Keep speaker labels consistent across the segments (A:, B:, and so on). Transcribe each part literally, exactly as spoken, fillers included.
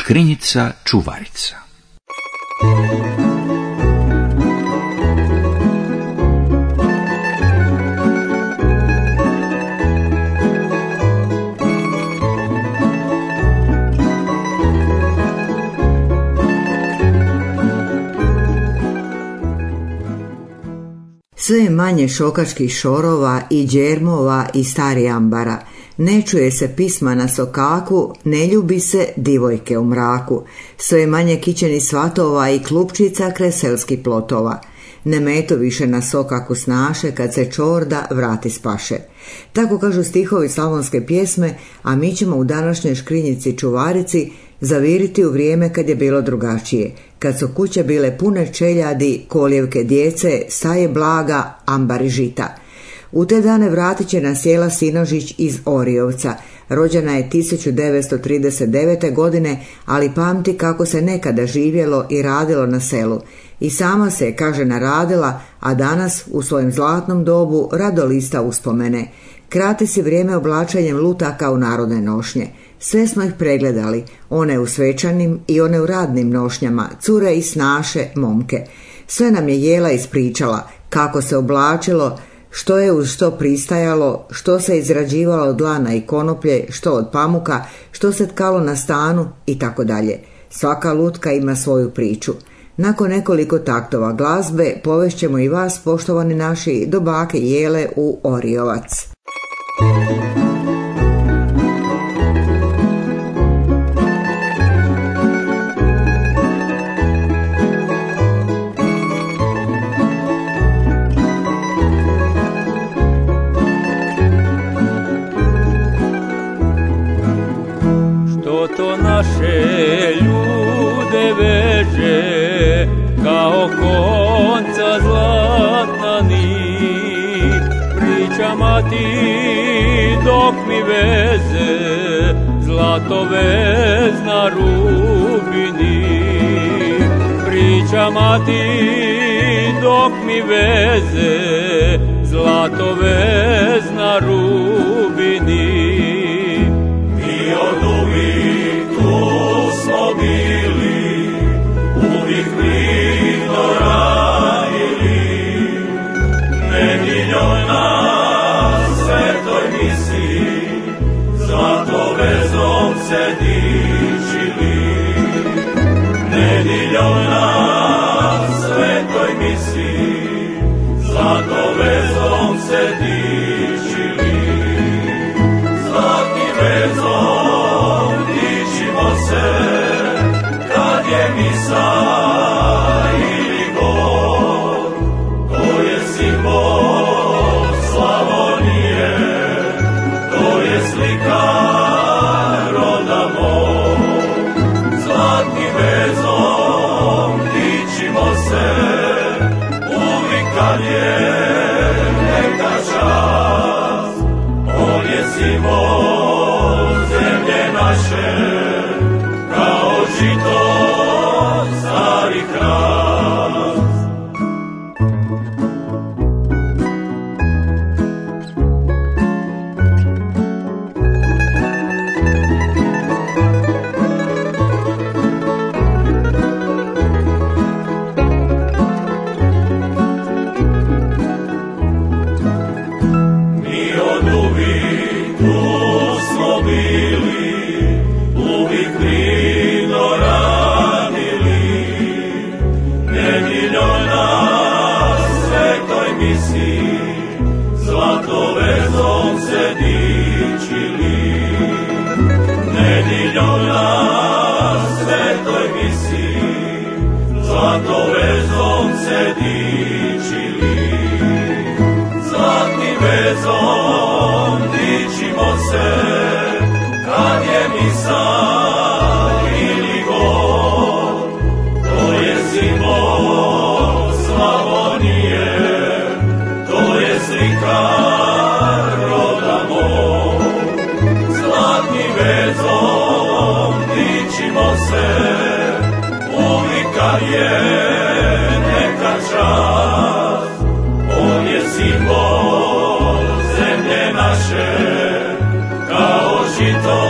A: Škrinjica čuvarica.
B: Sve je manje šokačkih šorova i đermova i stari ambara. Ne čuje se pisma na sokaku, ne ljubi se divojke u mraku. Sve je manje kićenih svatova i klupčica kraj selskih plotova. Ne meto više na sokaku snaše, kad se čorda vrati spaše. Tako kažu stihovi slavonske pjesme, a mi ćemo u današnjoj škrinjici čuvarici zaviriti u vrijeme kad je bilo drugačije, kad su kuće bile pune čeljadi, koljevke djece, staje blaga, ambari žita. U te dane vratit će nas Jela Sinožić iz Oriovca. Rođena je tisuću devetsto trideset devete. godine, ali pamti kako se nekada živjelo i radilo na selu. I sama se, kaže, naradila, a danas u svojem zlatnom dobu rado lista uspomene. Krati si vrijeme oblačenjem lutaka u narodne nošnje. Sve smo ih pregledali, one u svečanim i one u radnim nošnjama, cure i snaše, momke. Sve nam je Jela ispričala, kako se oblačilo, što je uz što pristajalo, što se izrađivalo od lana i konoplje, što od pamuka, što se tkalo na stanu i tako dalje. Svaka lutka ima svoju priču. Nakon nekoliko taktova glazbe povešćemo i vas, poštovani naši, do bake Jele u Oriovac.
C: Što to naše ljude veže kao konca zlatna nit, pričama ti dok mi veze zlato vezna rubini. Pričama ti dok mi veze zlato vezna rubini. Mi od uvijek tu smo bili, uvijek mirno radili, nedjeljom na svetoj misi, zlato vezom se dičili. Nedjeljom na svetoj misi, zlato vezom se dičili. Zlatnim vezom dičimo se, kad je misa ili gor. To je simbol Slavonije, to je slika roda mog. Zlatnim vezom dičimo se, uvijek kad je neka čast. On je simbol zemlje naše, kao žito stari hrast. Mi od uvijek tu smo bili, uvijek mirno radili, nedjeljom na svetoj misi, zlato vezom se dičili. Nedjeljom na svetoj misi, zlato vezom se dičili. Zlatnim vezom dičimo se, kad je misa ili gor. To je simbol Slavonije, to je slika roda mog. Zlatnim vezom dičimo se, uvijek kad je neka čast. On je simbol zemlje naše, kao žito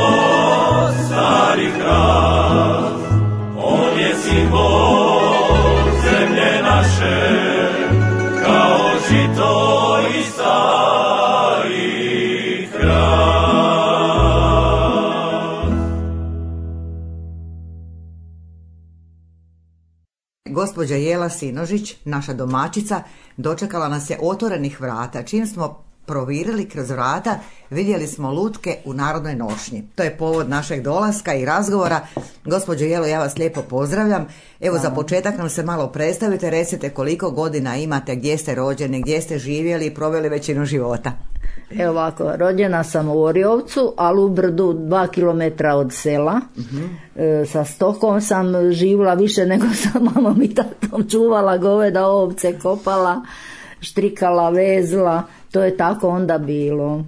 C: stari hrast.
B: gospođa Jela Sinožić, naša domaćica, dočekala nas je otvorenih vrata. Čim smo provirili kroz vrata, vidjeli smo lutke u narodnoj nošnji. To je povod našeg dolaska i razgovora. Gospođo Jelo, ja vas lijepo pozdravljam. Evo, za početak nam se malo predstavite, recite koliko godina imate, gdje ste rođeni, gdje ste živjeli i proveli većinu života.
D: Evo ovako, rođena sam u Oriovcu, ali u Brdu dva kilometra od sela. Uh-huh. E, sa stokom sam živjela više nego sa mamom i tatom, čuvala goveda, ovce, kopala, štrikala, vezla. To je tako onda bilo.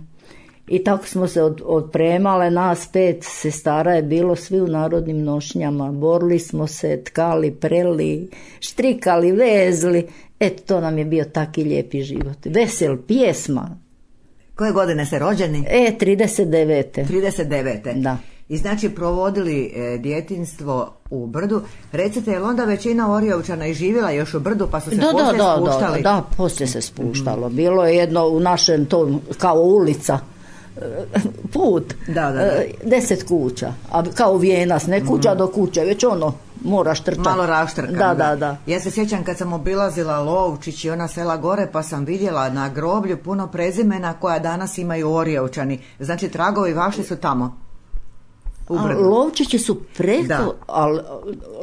D: I tako smo se od, odpremale, nas pet sestara je bilo, svi u narodnim nošnjama. Borili smo se, tkali, preli, štrikali, vezli. Eto, to nam je bio taki lijepi život. Vesel, pjesma.
B: Koje godine ste rođeni?
D: E, trideset devete.
B: trideset devete.
D: Da.
B: I znači provodili e, djetinjstvo u Brdu. Recite, je li onda većina Oriovčana i živjela još u Brdu, pa su se
D: da,
B: poslije
D: da,
B: spuštali?
D: Da, da, poslije se spuštalo. Bilo je jedno u našem tom, kao ulica, put,
B: da, da, da.
D: deset kuća, a kao Vijenas, ne kuća do kuće, već ono, moraš trčati.
B: Malo raštrkan.
D: Da, da, da.
B: Ja se sjećam kad sam obilazila Lovčić i ona sela gore, pa sam vidjela na groblju puno prezimena koja danas imaju Oriovčani. Znači, tragovi vaši su tamo.
D: Lovčići su preko, ali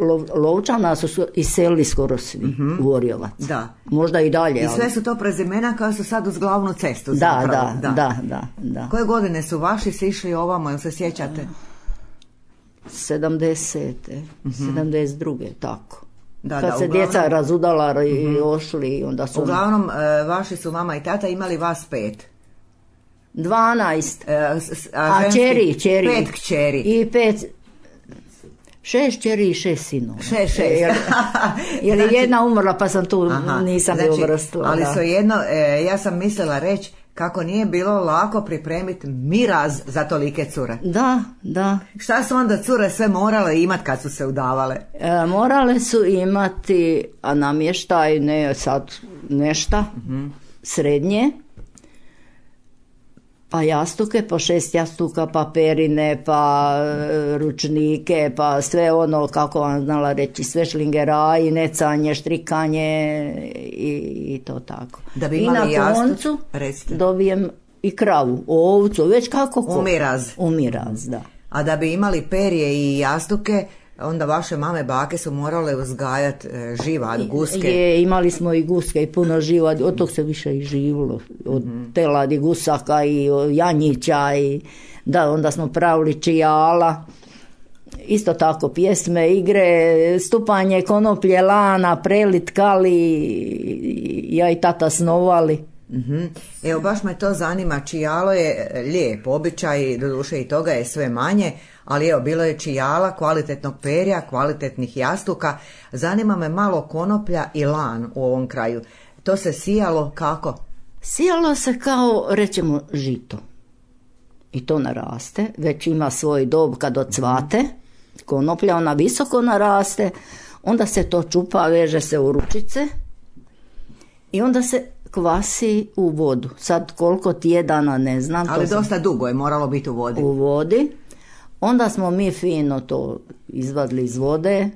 D: lo, Lovčana su iselili skoro svi uh-huh. u Oriovac.
B: Da.
D: Možda i dalje.
B: I sve ali... su to prezimena koja su sad uz glavnu cestu.
D: Da,
B: zapravo.
D: Da, da, da, da.
B: Koje godine su vaši se išli ovamo, jel se sjećate?
D: sedamdesete. Uh-huh. sedamdeset druge, tako.
B: Da,
D: kad
B: da,
D: se
B: uglavnom...
D: djeca razudala i uh-huh. ošli, onda su...
B: Uglavnom, vaši su mama i tata imali vas pet.
D: Dvanaest.
B: E, a,
D: a čeri, čeri.
B: Pet kćeri.
D: I pet... Šest čeri i šest sinova.
B: Šest, šest.
D: Jer, jer znači, jedna umrla pa sam tu, aha, nisam
B: znači,
D: je uvrstila.
B: Ali
D: da.
B: su jedno, e, ja sam mislila reći kako nije bilo lako pripremiti miraz za tolike cure.
D: Da, da.
B: Šta su onda cure sve morale imati kad su se udavale?
D: E, morale su imati, a namještaj, ne sad nešta, uh-huh. srednje, pa jastuke, po šest jastuka, pa perine, pa e, ručnike, pa sve ono, kako vam znala reći, sve šlingeraji, necanje, štrikanje i, i to tako.
B: Da bi
D: i
B: imali
D: na koncu
B: jastuk,
D: dobijem i kravu, ovcu, već kako ko.
B: Umiraz.
D: Umiraz, da.
B: A da bi imali perje i jastuke, onda vaše mame, bake su morale uzgajati e, živad, guske.
D: Je, imali smo i guske i puno živad, od tog se više i živilo, od mm-hmm. teladi, gusaka i janjića i da, onda smo pravili čijala, isto tako pjesme, igre, stupanje konoplje, lana, prelit, kali, ja i tata snovali.
B: Mm-hmm. Evo, baš me to zanima, čijalo je lijep običaj, doduše i toga je sve manje, ali evo, bilo je čijala, kvalitetnog perja, kvalitetnih jastuka. Zanima me malo konoplja i lan u ovom kraju. To se sijalo kako?
D: Sijalo se kao, rećemo, žito. I to naraste, već ima svoj dob kad ocvate. Konoplja, ona visoko naraste, onda se to čupa, veže se u ručice i onda se kvasi u vodu. Sad koliko tjedana ne znam.
B: Ali dosta
D: sam...
B: dugo je moralo biti u vodi.
D: U vodi. Onda smo mi fino to izvadili iz vode,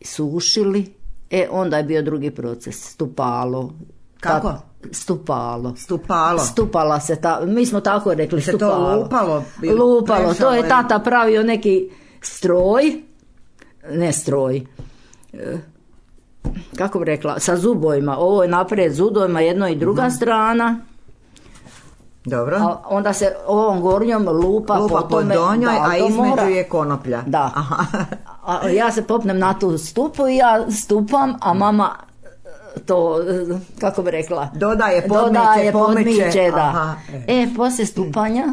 D: sušili, e onda je bio drugi proces, stupalo.
B: Kako?
D: Ta, stupalo.
B: Stupalo.
D: Stupala se, ta, mi smo tako rekli,
B: se
D: stupalo.
B: Se to lupalo?
D: Lupalo, to je tata pravio neki stroj, ne stroj, e, kako bi rekla, sa zubojima, ovo je naprijed zubojima, jedno i druga mm-hmm. strana.
B: Dobro.
D: A onda se ovom gornjom lupa,
B: lupa po donjoj, a između mora... je konoplja.
D: Da. A ja se popnem na tu stupu i ja stupam, a mama to, kako bi rekla,
B: dodaje, podmiče,
D: dodaje,
B: podmiče.
D: podmiče, da.
B: Aha.
D: E, poslije stupanja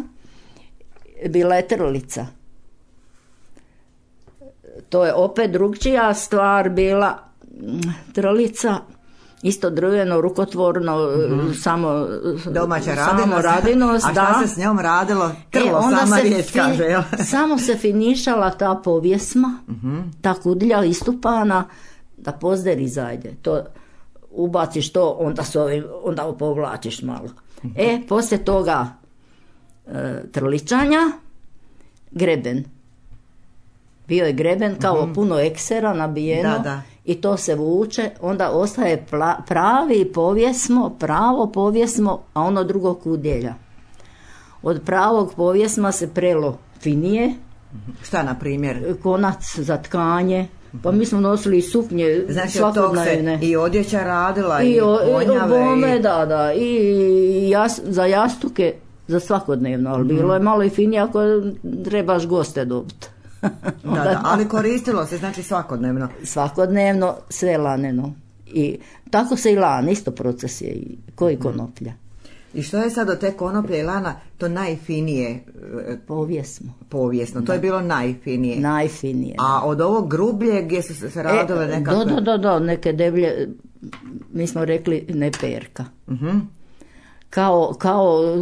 D: bila je trlica. To je opet drugčija stvar bila, trlica, isto drveno, rukotvorno, mm-hmm. samo
B: domaća
D: samo radinost.
B: A šta
D: da.
B: se s njom radilo? Trlo, e, sama riječ fi, kaže. Jel?
D: Samo se finišala ta povjesma, mm-hmm. ta kudlja istupana, da pozder izađe. To ubaciš to, onda, ovim, onda povlačiš malo. Mm-hmm. E, poslije toga e, trličanja, greben. Bio je greben kao mm-hmm. puno eksera nabijeno.
B: Da, da.
D: i to se vuče, onda ostaje pla, pravi povjesmo, pravo povjesmo, a ono drugo kudjelja. Od pravog povjesma se prelo finije.
B: Šta na primjer?
D: Konac za tkanje. Pa mi smo nosili i suknje,
B: znači,
D: svakodnevne.
B: Znači i odjeća radila i,
D: i
B: ponjave.
D: I bome, i... da, da. I jas, za jastuke, za svakodnevno. Ali mm. bilo je malo i finije ako trebaš goste dobiti.
B: da, da, ali koristilo se, znači svakodnevno.
D: Svakodnevno, sve laneno. I tako se i lan, isto proces je. I koji konoplja.
B: I što je sad od te konoplje i lana to najfinije?
D: Povijesno.
B: Povijesno, to da. je bilo najfinije.
D: Najfinije.
B: A od ovog grublje gdje su se radile
D: e,
B: nekakve...
D: Da, da, da, da, neke deblje, mi smo rekli ne perka.
B: Uh-huh.
D: Kao, kao...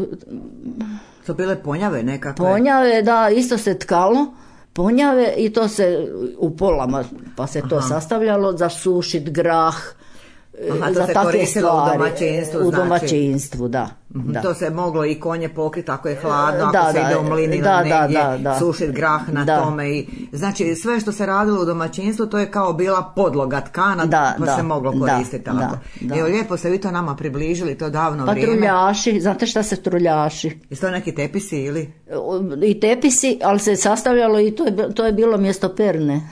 B: To bile ponjave nekakve?
D: Ponjave, da, isto se tkalo. Ponjave i to se u polama, pa se to Aha. sastavljalo za sušit grah.
B: Aha, to
D: za
B: se
D: takve stvari
B: u domaćinstvu,
D: u
B: znači.
D: domaćinstvu, da,
B: mm-hmm.
D: da.
B: To se moglo i konje pokriti ako je hladno,
D: da,
B: ako se
D: da,
B: ide u mlin
D: da,
B: ili negdje,
D: da, da,
B: sušit grah na
D: da.
B: tome. I, znači sve što se radilo u domaćinstvu to je kao bila podloga tkana,
D: da,
B: pa
D: da,
B: se moglo koristiti
D: da,
B: tako.
D: Da, da.
B: Evo lijepo ste vi to nama približili, to davno
D: pa
B: vrijeme.
D: Pa truljaši, znate šta se truljaši?
B: Jesu to neki tepisi ili?
D: I tepisi, ali se sastavljalo i to je, to je bilo mjesto perne.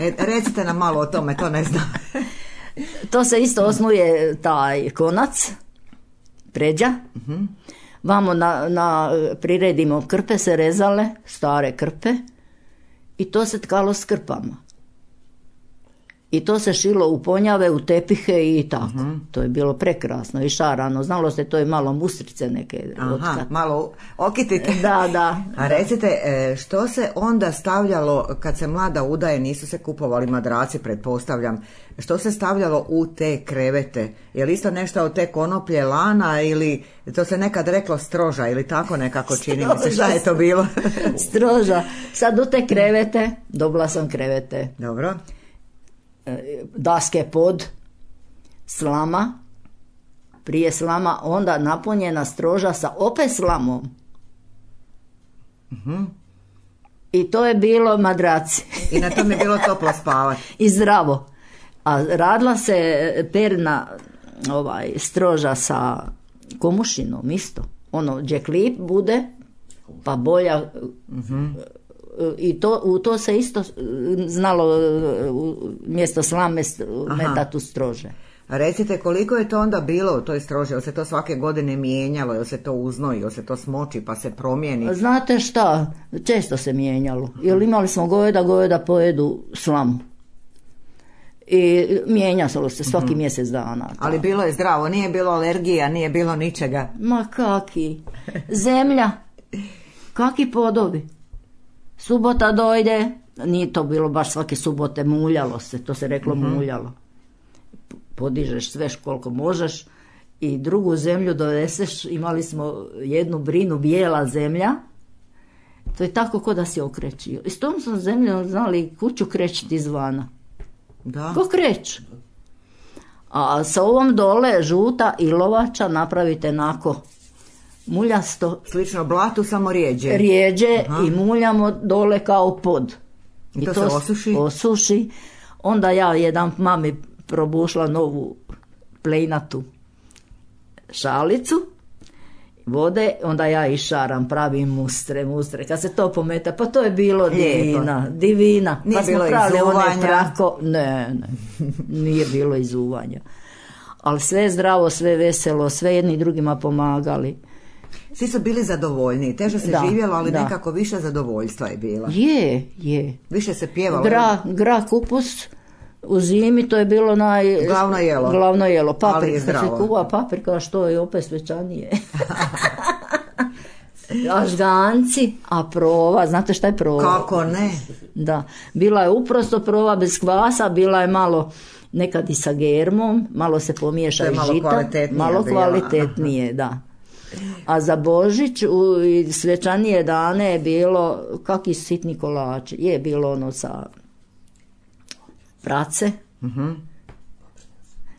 B: e, recite nam malo o tome, to ne znam.
D: To se isto osnuje taj konac, pređa.
B: Uh-huh.
D: Vamo na, na priredimo krpe se rezale, stare krpe, i to se tkalo s krpama. I to se šilo u ponjave, u tepihe i tako. Uh-huh. To je bilo prekrasno i šarano. Znalo se, to je malo mustrice neke.
B: Aha,
D: otkat.
B: malo okitite.
D: Da, da.
B: A recite, što se onda stavljalo, kad se mlada udaje, nisu se kupovali madraci, pretpostavljam, što se stavljalo u te krevete? Je li isto nešto od te konoplje, lana ili to se nekad reklo stroža ili tako nekako čini mi se? Šta je to bilo?
D: Stroža. Sad u te krevete, dobila sam krevete.
B: Dobro.
D: Daske pod, slama, prije slama, onda napunjena stroža sa opet slamom.
B: Uh-huh.
D: I to je bilo madraci.
B: I na tom je bilo toplo spavati.
D: I zdravo. A radila se perna ovaj, stroža sa komušinom isto. Ono, gdje klip bude, pa boja... Uh-huh. I to, u to se isto znalo mjesto slame metatu strože.
B: A recite, koliko je to onda bilo u toj stroži? Jel se to svake godine mijenjalo? Jel se to uznoji? Jel se to smoči pa se promijeni?
D: Znate šta? Često se mijenjalo. Jer imali smo goveda, goveda pojedu slamu. I mijenjalo se svaki mm-hmm. mjesec dana. Ta.
B: Ali bilo je zdravo, nije bilo alergija, nije bilo ničega.
D: Ma kaki? Zemlja. Kaki podobi? Subota dojde, nije to bilo baš svake subote, muljalo se, to se reklo mm-hmm. muljalo. Podižeš sve koliko možeš i drugu zemlju doneseš, imali smo jednu brinu, bijela zemlja, to je tako ko da si okrećio. I s tom sam zemljom znali kuću krećiti izvana.
B: Da.
D: Ko kreć? A sa ovom dole žuta ilovača napravite nako muljasto.
B: Slično blatu, samo rijeđe.
D: Rijeđe. Aha. I muljamo dole kao pod.
B: I, I to, to se osuši?
D: Osuši. Onda ja jedan mami probušla novu plejnatu šalicu vode, onda ja išaram, pravim mustre, mustre. Kad se to pometa, pa to je bilo divina, divina.
B: Nije
D: pa smo
B: bilo
D: pravili
B: izuvanja?
D: One prako, ne, ne, nije bilo izuvanja. Ali sve zdravo, sve veselo, sve jedni drugima pomagali.
B: Svi su bili zadovoljni, teže se
D: da,
B: živjelo, ali
D: da.
B: nekako više zadovoljstva je bila.
D: Je, je.
B: Više se pjevalo.
D: Gra, gra kupus u zimi, to je bilo naj...
B: Glavno jelo.
D: Glavno jelo, paprika.
B: Kad
D: se kuva paprika, što je opet svečanije. A žganci, a prova, znate šta je prova?
B: Kako ne?
D: Da, bila je uprosto prova bez kvasa, bila je malo nekad i sa germom, malo se pomiješa i
B: malo
D: žita,
B: kvalitetnije
D: malo
B: bila.
D: kvalitetnije, da. A za Božić u svečanije dane je bilo kakvi sitni kolači, je bilo ono sa prace,
B: uh-huh.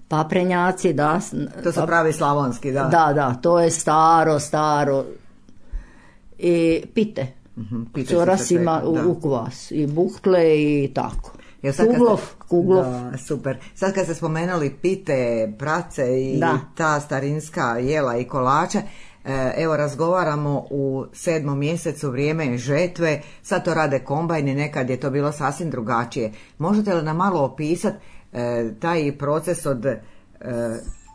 D: paprenjaci, da.
B: To su pravi slavonski, da.
D: Da, da, to je staro, staro. I pite.
B: Uh-huh. Pite
D: Cura ima u, u kvas. I bukle i tako.
B: Jer sad kad
D: Kuglov,
B: ste-
D: Kuglov.
B: Da, super. Sad kad ste spomenuli pite, prace i
D: Da.
B: ta starinska jela i kolače, e, evo razgovaramo u sedmom mjesecu, vrijeme je žetve, sad to rade kombajni, nekad je to bilo sasvim drugačije. Možete li nam malo opisati e, taj proces od e,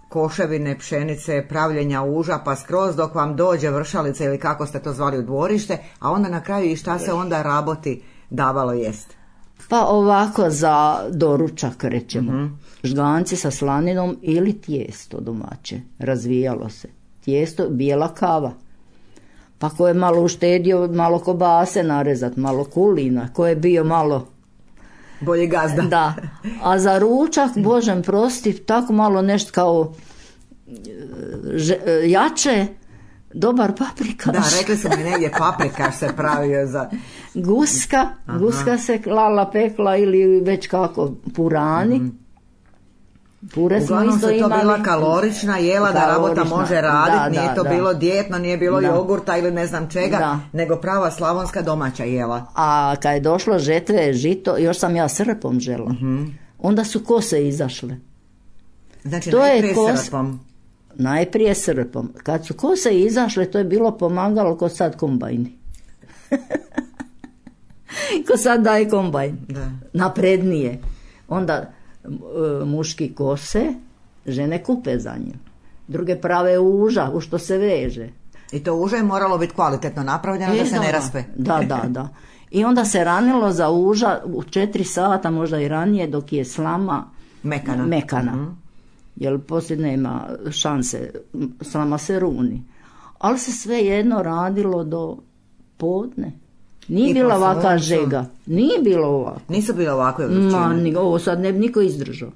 B: koševine, pšenice, pravljenja uža, pa skroz dok vam dođe vršalica ili kako ste to zvali u dvorište, a onda na kraju i šta se onda raboti davalo jest?
D: Pa ovako za doručak rećemo. Mm-hmm. Žganci sa slaninom ili tijesto domaće. Razvijalo se. Tijesto, bijela kava. Pa ko je malo uštedio, malo kobase narezat, malo kulina. Ko je bio malo...
B: Bolji gazda.
D: Da. A za ručak, Božem prosti, tako malo nešto kao že, jače, dobar paprikaš.
B: Da, rekli su mi negdje paprikaš se pravio za...
D: Guska, Aha. guska se klala, pekla ili već kako, purani. Mm-hmm. Pure smo
B: Uglavnom
D: isto
B: se to
D: imali.
B: bila kalorična jela da rabota može raditi,
D: da,
B: nije
D: da,
B: to
D: da.
B: bilo dijetno, nije bilo
D: Da.
B: jogurta ili ne znam čega,
D: Da.
B: nego prava slavonska domaća jela.
D: A kad je došlo žetve, žito, još sam ja srpom žela. Mm-hmm. Onda su kose izašle.
B: Znači
D: To je
B: najprije
D: kos-
B: srpom.
D: Najprije srpom. Kad su kose izašle, to je bilo pomagalo ko sad kombajni. Ko sad daje kombajn.
B: Da.
D: Naprednije. Onda e, muški kose, žene kupe za njim. Druge prave uža, u što se veže.
B: I to uže je moralo biti kvalitetno napravljeno da
D: E,
B: se ne raspe.
D: Da, da, da. I onda se ranilo za uža u četiri sata, možda i ranije, dok je slama
B: Mekana.
D: mekana.
B: Mhm.
D: Jer poslije nema šanse, slama se runi. Ali se sve jedno radilo do podne. Nije
B: I
D: bila
B: po
D: ovaka
B: suncu.
D: žega. Nije bilo ovako.
B: Nisu bile ovakve
D: Ma,
B: vrućine.
D: ni, ovo sad ne bi niko izdržao.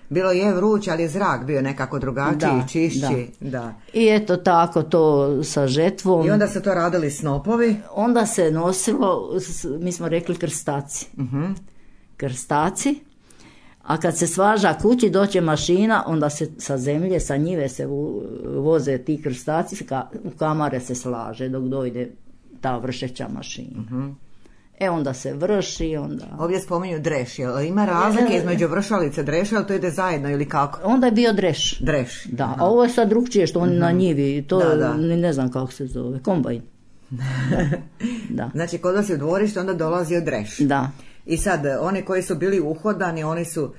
B: Bilo je vruć, ali je zrak bio nekako drugačiji,
D: Da,
B: čišći. Da.
D: I eto tako to sa žetvom.
B: I onda se to radili snopovi.
D: Onda se nosilo, s- mi smo rekli krstaci.
B: Mhm.
D: Krstaci. A kad se svaža kući, doće mašina, onda se sa zemlje, sa njive se u- voze ti krstaci, ka- u kamare se slaže dok dojde ta vršeća mašina.
B: Mhm.
D: E onda se vrši, onda...
B: Ovdje spominju dreš, jel ima razlike između vršalice dreša, ali to ide zajedno ili kako?
D: Onda je bio dreš.
B: Dreš.
D: Da, a ovo je sad drugčije što oni na njivi, to
B: Da, da.
D: ni ne znam kako se zove, kombajn. Da,
B: Znači, kod vas je u dvorište, onda dolazio dreš.
D: da.
B: I sad, oni koji su bili uhodani, oni su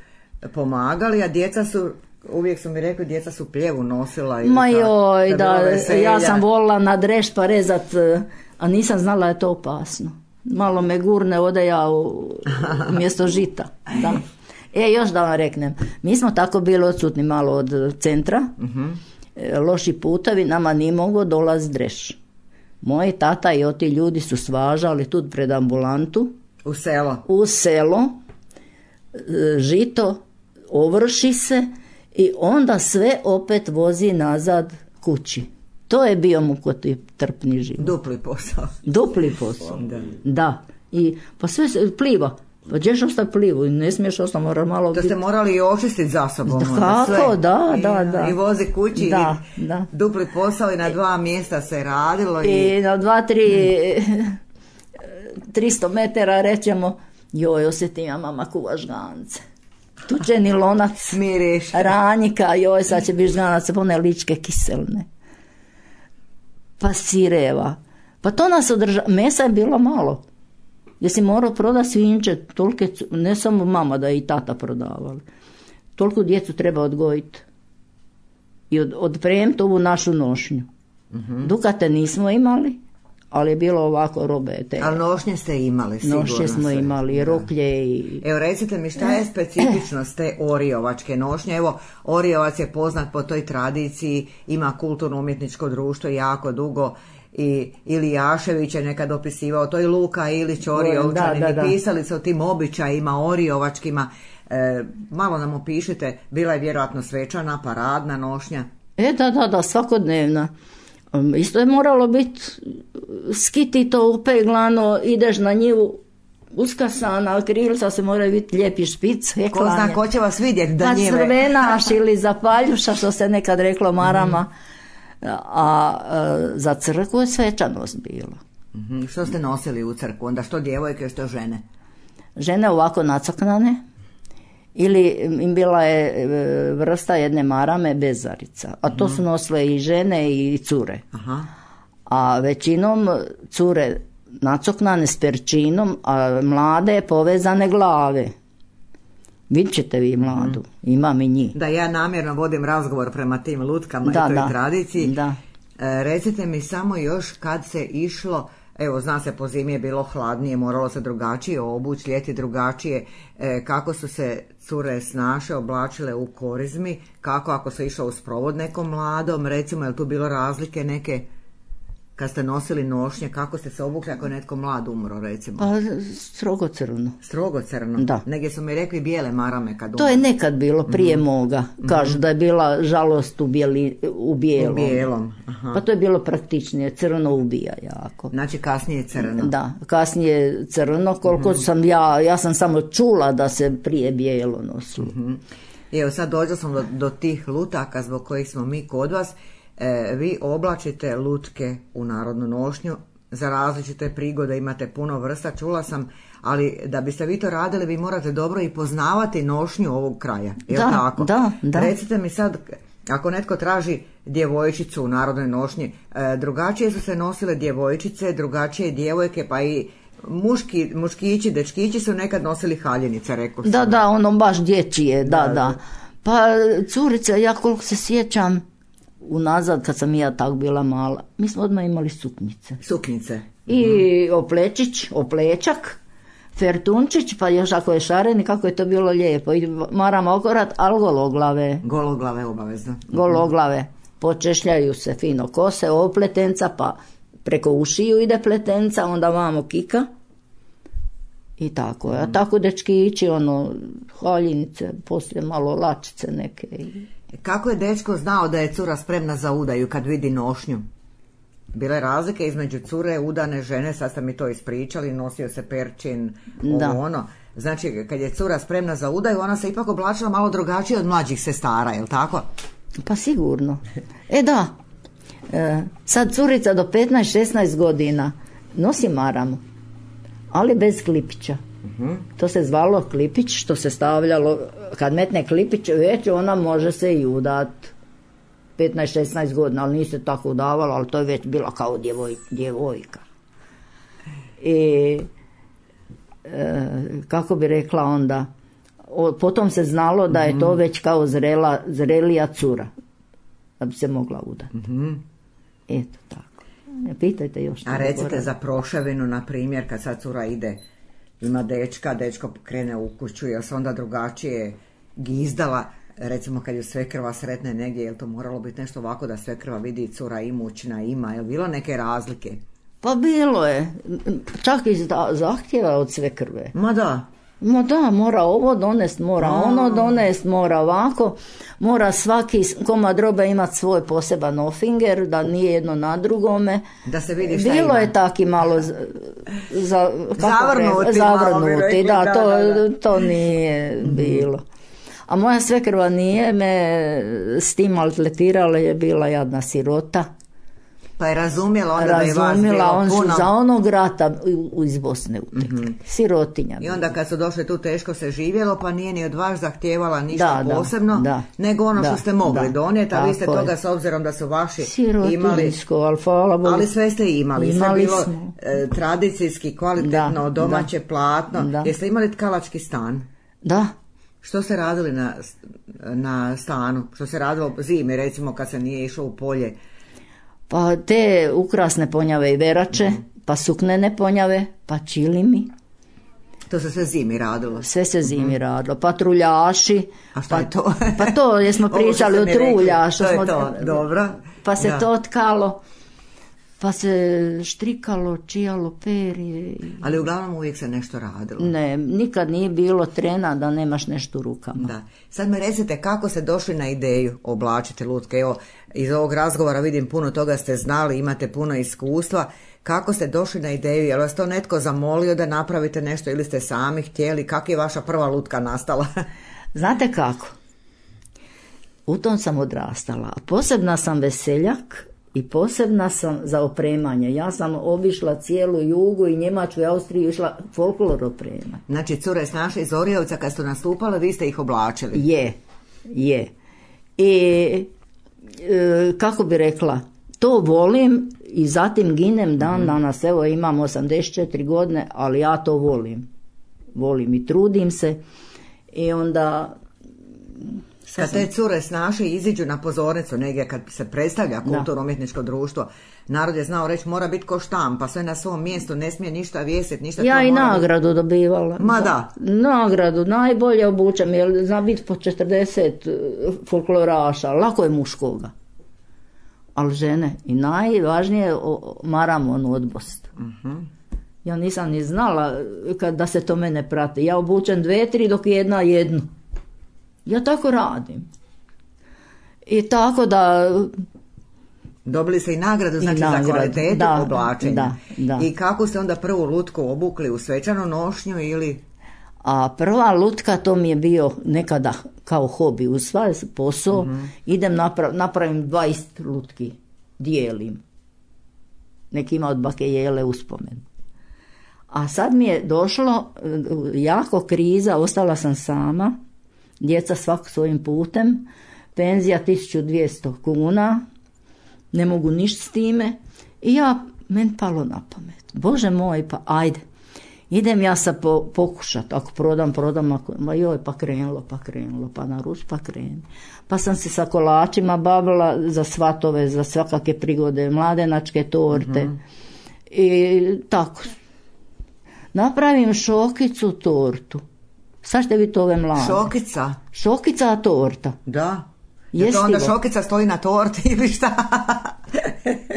B: pomagali, a djeca su, uvijek su mi rekli, djeca su pljevu nosila. Ili
D: Ma
B: tako,
D: joj,
B: je
D: da,
B: bilo veselja.
D: ja sam volila na dreš pa rezat, eh, a nisam znala da je to opasno. Malo me gurne, ode ja u, umjesto žita. Da. E, još da vam reknem, mi smo tako bili odsutni malo od centra, e, loši putovi, nama nije mogao dolaz dreš. Moji tata i oti ljudi su svažali tu pred ambulantu,
B: U selo.
D: u selo, e, žito, ovrši se i onda sve opet vozi nazad kući. To je bio mukoti trpni život.
B: Dupli posao.
D: Dupli posao.
B: Da.
D: Da. I pa sve se pliva. Pa gdješ ostaviti plivu? Ne smiješ ostaviti, mora malo
B: To
D: biti.
B: ste morali i očistiti za sobom.
D: Da,
B: onda,
D: kako?
B: sve.
D: Da,
B: I,
D: da, da.
B: I vozi kući
D: Da,
B: i
D: da.
B: dupli posao i na dva mjesta se radilo. I...
D: I na dva, tri, tristo metara rećemo, joj, osjetim ja mama kuva žgance. Tučeni lonac,
B: Miriš.
D: ranjika, joj, sad će biti žganac, one ličke kiselne. Pa sireva. Pa to nas održa, mesa je bilo malo. Jer si morao prodati svinče, tolike, cu- ne samo mama da je i tata prodavali. Toliko djecu treba odgojiti. I od, odpremiti ovu našu nošnju.
B: Mhm.
D: Dukate nismo imali, ali je bilo ovako robe. Te
B: Ali nošnje ste imali, sigurno.
D: nošnje smo
B: sve.
D: imali, i roklje i...
B: Evo recite mi šta je specifičnost te orijovačke nošnje? Evo, Orijovac je poznat po toj tradiciji, ima kulturno-umjetničko društvo jako dugo i Ilijašević je nekad opisivao, to je Luka Ilić Orijovčanin,
D: Da, da, da.
B: i pisali su o tim običajima orijovačkima. E, malo nam opišite, bila je vjerojatno svečana, paradna nošnja.
D: E, da, da, da, svakodnevna. Um, Isto je moralo biti skiti to upeglano, ideš na njivu uskasana, krilca se moraju biti lijepi špic,
B: Ko
D: heklanje.
B: zna ko će vas vidjeti da
D: Pa
B: njive.
D: crvenaš ili zapaljuša, što se nekad reklo marama. A, a za crkvu je svečanost bilo.
B: Mhm, što ste nosili u crkvu? Onda što djevojke, što žene?
D: žene ovako nacrknane, ili im bila je vrsta jedne marame bezarica, a to su nosile i žene i cure. Aha. A većinom cure nacoknane s perčinom, a mlade povezane glave. Vidjet ćete vi mladu, imam i njih.
B: Da, ja namjerno vodim razgovor prema tim lutkama
D: da,
B: i toj
D: da,
B: tradiciji.
D: Da.
B: E, recite mi samo još kad se išlo, evo zna se po zimi je bilo hladnije, moralo se drugačije obući, ljeti drugačije, e, kako su se cure snaše oblačile u korizmi, kako ako se išlo u sprovod nekom mladom, recimo je li tu bilo razlike neke? Kad ste nosili nošnje, kako ste se obukli ako je netko mlad umro, recimo?
D: Pa strogo crno.
B: Strogo crno?
D: Da.
B: Negdje su mi rekli bijele marame kad umro.
D: To je nekad bilo prije mm-hmm. moga. Kažu mm-hmm. da je bila žalost u, bijeli, u bijelom.
B: U bijelom, aha.
D: Pa to je bilo praktičnije, crno ubija jako.
B: Znači kasnije crno?
D: Da, kasnije crno, koliko mm-hmm. sam ja, ja sam samo čula da se prije bijelo nosilo.
B: Mm-hmm. Evo sad dođo sam do, do tih lutaka zbog kojih smo mi kod vas. E, vi oblačite lutke u narodnu nošnju, za različite prigode imate puno vrsta, čula sam, ali da biste vi to radili, vi morate dobro i poznavati nošnju ovog kraja. Je
D: da,
B: li tako?
D: Da, da.
B: Recite mi sad, ako netko traži djevojčicu u narodnoj nošnji, e, drugačije su se nosile djevojčice, drugačije djevojke, pa i muški, muškići, dečkići su nekad nosili haljinice, rekao sam.
D: Da, da, ono baš dječije, da, da. da. Pa curice, ja koliko se sjećam, unazad kad sam ja tak bila mala, mi smo odmah imali suknjice.
B: Suknjice.
D: I oplečić, oplečak, fertunčić, pa još ako je šareni, kako je to bilo lijepo. I marama okorat, ali gologlave.
B: Gologlave obavezno.
D: Gologlave. Počešljaju se fino kose, opletenca, pa preko ušiju ide pletenca, onda vamo kika. I tako. A tako dečki ići, ono, haljinice, poslije malo lačice neke.
B: Kako je dečko znao da je cura spremna za udaju kad vidi nošnju? Bile razlike između cure, udane žene, sad ste mi to ispričali, nosio se perčin, ovo ono. Znači, kad je cura spremna za udaju, ona se ipak oblačila malo drugačije od mlađih sestara, je li tako?
D: Pa sigurno. E da, e, sad curica do petnaest šesnaest godina nosi maramu, ali bez klipića. Uh-huh. To se zvalo klipić, što se stavljalo, kad metne klipić, već ona može se i udat petnaest šesnaest godina, ali nije se tako udavala, ali to je već bila kao djevoj, djevojka. I e, kako bi rekla onda, o, potom se znalo da je to već kao zrela, zrelija cura, da bi se mogla udati. Uh-huh. Eto tako. Ne pitajte još.
B: A recite govorim. Za proševinu, na primjer, kad sad cura ide, ima dečka, dečko krene u kuću, jel se onda drugačije gizdala, recimo kad ju svekrva sretne negdje, jel to moralo biti nešto ovako da svekrva vidi cura imućna ima, jel bilo neke razlike?
D: Pa bilo je, čak i zahtjeva od svekrve.
B: Ma da.
D: Ma da, mora ovo donest, mora A. ono donest, mora ovako, mora svaki komad robe imati svoj poseban ofinger, da nije jedno na drugome.
B: Da se vidi šta
D: bilo
B: ima.
D: Je taki malo za, za,
B: zavrnuti,
D: zavrnuti
B: rekli,
D: da,
B: da,
D: to,
B: da, da.
D: to nije mm-hmm. bilo. A moja svekrva nije me s tim maltretirala, je bila jadna sirota.
B: Pa je razumjela onda
D: razumjela,
B: da je vas bilo puno.
D: Za onog rata iz Bosne utekli. Mm-hmm. Sirotinja.
B: I onda kad su došli tu teško se živjelo, pa nije ni od vas zahtijevala ništa
D: da,
B: posebno,
D: da,
B: nego ono
D: da,
B: što ste mogli
D: da,
B: donijeti, a vi ste toga
D: je.
B: S obzirom da su vaši
D: imali, ali,
B: ali sve ste imali.
D: imali
B: sve bilo
D: smo.
B: E, tradicijski, kvalitetno,
D: da,
B: domaće
D: da,
B: platno.
D: Da.
B: Jeste imali tkalački stan?
D: Da.
B: Što ste radili na, na stanu? Što se radilo zimi, recimo kad se nije išlo u polje?
D: Pa te ukrasne ponjave i verače, mm. pa suknene ponjave, pa čilimi.
B: To se sve zimi radilo?
D: Sve se zimi mm-hmm. radilo. Pa truljaši.
B: A šta
D: pa,
B: je to?
D: Pa to, jesmo pričali o truljašu.
B: To je to, dobro.
D: Pa se
B: da.
D: to tkalo, pa se štrikalo, čijalo perje.
B: Ali uglavnom uvijek se nešto radilo.
D: Ne, nikad nije bilo trena da nemaš nešto u rukama.
B: Da. Sad me recite kako ste došli na ideju oblačiti lutke. Evo, iz ovog razgovora vidim puno toga ste znali, imate puno iskustva. Kako ste došli na ideju? Je li vas to netko zamolio da napravite nešto ili ste sami htjeli? Kako je vaša prva lutka nastala?
D: Znate kako? U tom sam odrastala. Posebna sam veseljak I posebna sam za opremanje. Ja sam obišla cijelu Jugu i Njemačku i Austriju, išla folklor opremati.
B: Znači, cure snaše iz Orijevca, kad su nastupale, vi ste ih oblačili.
D: Je, je. I e, kako bi rekla, to volim i zatim ginem dan danas. Evo, imam osamdeset četiri godine, ali ja to volim. Volim i trudim se. I onda...
B: Kad te cure snaše iziđu na pozornicu negdje, kad se predstavlja kulturno-umjetničko društvo, narod je znao reći mora biti ko štampa, sve na svom mjestu, ne smije ništa vijesiti, ništa.
D: Ja
B: to
D: i
B: mora
D: nagradu
B: biti...
D: dobivala.
B: Ma da.
D: Nagradu, najbolje obučem, jer zna biti po četrdeset folkloraša, lako je muškoga. Ali žene, i najvažnije maram onu odbost. Uh-huh. Ja nisam ni znala kad, da se to mene prati. Ja obučem dve, tri, dok jedna jednu. Ja tako radim. I tako da...
B: Dobili ste i nagradu, znači, i nagradu, za kvalitetu
D: da,
B: oblačenja.
D: Da, da.
B: I kako ste onda prvu lutku obukli, u svečanu nošnju ili...
D: A prva lutka, to mi je bio nekada kao hobi, uz svaj posao, mm-hmm. idem naprav, napravim dvadeset lutki, dijelim. Neki ima od bake Jele uspomen. A sad mi je došlo jako kriza, ostala sam sama, djeca svak svojim putem, penzija tisuću dvjesto kuna, ne mogu ništa s time i ja, meni palo na pamet. Bože moj, pa ajde. Idem ja sa po, pokušat, ako prodam, prodam, ako, ma joj, pa krenulo, pa krenulo, pa naruč, pa krenu. Pa sam se sa kolačima bavila za svatove, za svakake prigode, mladenačke torte. Mm-hmm. I tako. Napravim šokicu tortu. Sad ćete vidjeti ove mlade.
B: Šokica?
D: Šokica torta.
B: Da. Je to onda šokica stoji na torti ili šta?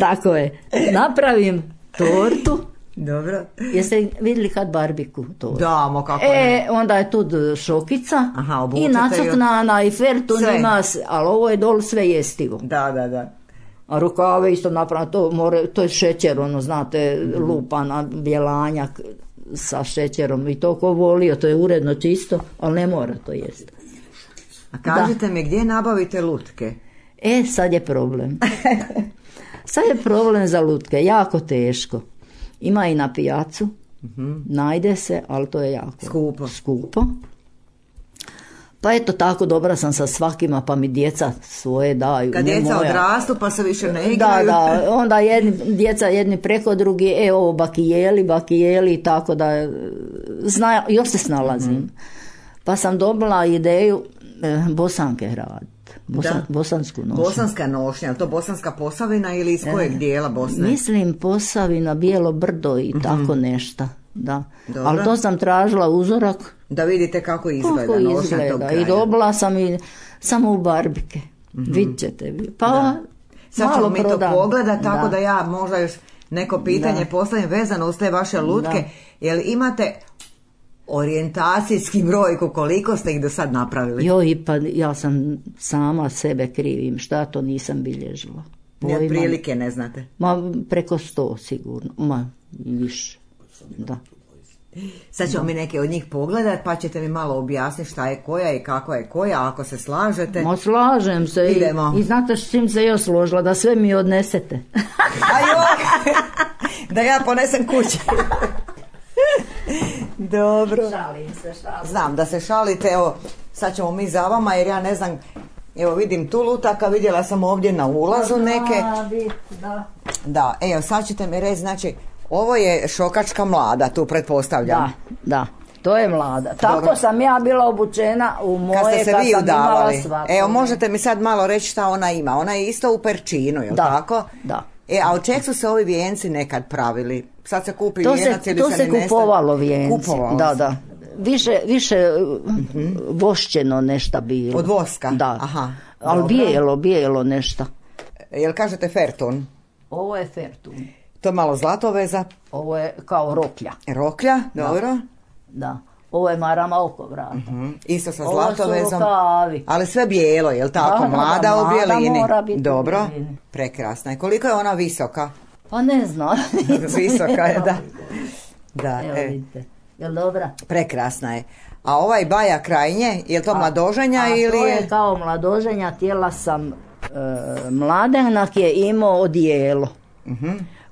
D: Tako je. Napravim tortu.
B: Dobro.
D: Jeste vidjeli kad barbiku to?
B: Da, mo kako
D: E,
B: ne.
D: onda je tu šokica.
B: Aha,
D: i nacrtnana i fertun ima, ali ovo je dol sve jestivo.
B: Da, da, da.
D: A rukave isto napravno, to, more, to je šećer, ono, znate, mm-hmm. lupana, bjelanjak sa šećerom i to ko volio, to je uredno čisto, ali ne mora to jesti.
B: A kažite da. mi, gdje nabavite lutke?
D: E, sad je problem. Sad je problem za lutke, jako teško. Ima i na pijacu, mm-hmm. najde se, ali to je jako
B: skupo.
D: skupo. Pa eto, tako dobra sam sa svakima, pa mi djeca svoje daju.
B: Kad
D: ne
B: djeca
D: moja.
B: odrastu, pa se više ne igraju.
D: Da, da, onda jedni, djeca jedni preko drugi, e ovo bakijeli, bakijeli, tako da zna, još se snalazim. Mm-hmm. Pa sam dobila ideju eh, bosanke raditi. Bosan, bosansku nošnju.
B: Bosanska nošnja, to Bosanska Posavina ili iz kojeg e, dijela Bosne?
D: Mislim Posavina, Bijelo brdo i mm-hmm. tako nešto. Da. Ali to sam tražila uzorak.
B: Da vidite kako izgleda.
D: Kako izgleda. I dobila sam i samo u barbike. Mm-hmm. Vidjet ćete. Pa da.
B: Sad ćemo mi to pogledati, tako da.
D: da
B: ja možda još neko pitanje da. postavim vezano uz te vaše lutke. Da. Jel imate orijentacijski brojku, koliko ste ih do sad napravili?
D: Joj, pa ja sam sama sebe krivim, šta to nisam bilježila.
B: Ni od prilike ne znate?
D: Ma preko sto sigurno, ma više, da.
B: Sad ćemo da. mi neke od njih pogledati, pa ćete mi malo objasniti šta je koja i kako je koja, ako se slažete.
D: Ma slažem se. Idemo. I, i znate s čim se još složila, da sve mi odnesete.
B: A joj, da ja ponesem kuće. Dobro.
D: Šalim se, šalim.
B: Znam da se šalite, evo, sad ćemo mi za vama, jer ja ne znam, evo vidim tu lutaka, vidjela sam ovdje na ulazu neke.
D: Da, da.
B: Da, evo, sad ćete mi reći, znači, ovo je šokačka mlada, tu pretpostavljam.
D: Da, da, to je mlada. Tako Dobro. sam ja bila obučena u moje,
B: kad ste se vi udavali.
D: Svako.
B: Evo, možete mi sad malo reći šta ona ima. Ona je isto u perčinu, jel
D: da,
B: tako?
D: Da.
B: E, a od čeg su se ovi vijenci nekad pravili? Sad se kupi
D: to
B: vijenac
D: se,
B: ili
D: to
B: se,
D: se
B: ne
D: kupovalo vijenci.
B: Kupovalo
D: da,
B: se.
D: da. Više, više mm-hmm. vošćeno nešto bilo.
B: Od voska?
D: Da.
B: Aha.
D: Ali
B: Dobro.
D: bijelo, bijelo nešto.
B: Jel kažete fertun?
D: Ovo je fertun.
B: To je malo zlatoveza.
D: Ovo je kao roklja.
B: Roklja, dobro.
D: Da. da. Ovo je marama oko vrata.
B: Uh-huh. Isto sa
D: Ovo
B: zlatovezom.
D: Su rukavi.
B: Ali sve bijelo, jel tako?
D: Da,
B: mlada
D: da,
B: u bijelini.
D: Mora biti
B: dobro.
D: U bijelini.
B: Prekrasna je. Koliko je ona visoka?
D: Pa ne znam.
B: Visoka je, da. Da,
D: evo
B: e.
D: vidite. Jel dobra?
B: Prekrasna je. A ovaj baja krajnje, je to a, mladoženja
D: a
B: ili
D: to
B: je?
D: je kao mladoženja, tijela sam E, mladenak je imao odijelo.
B: Mhm.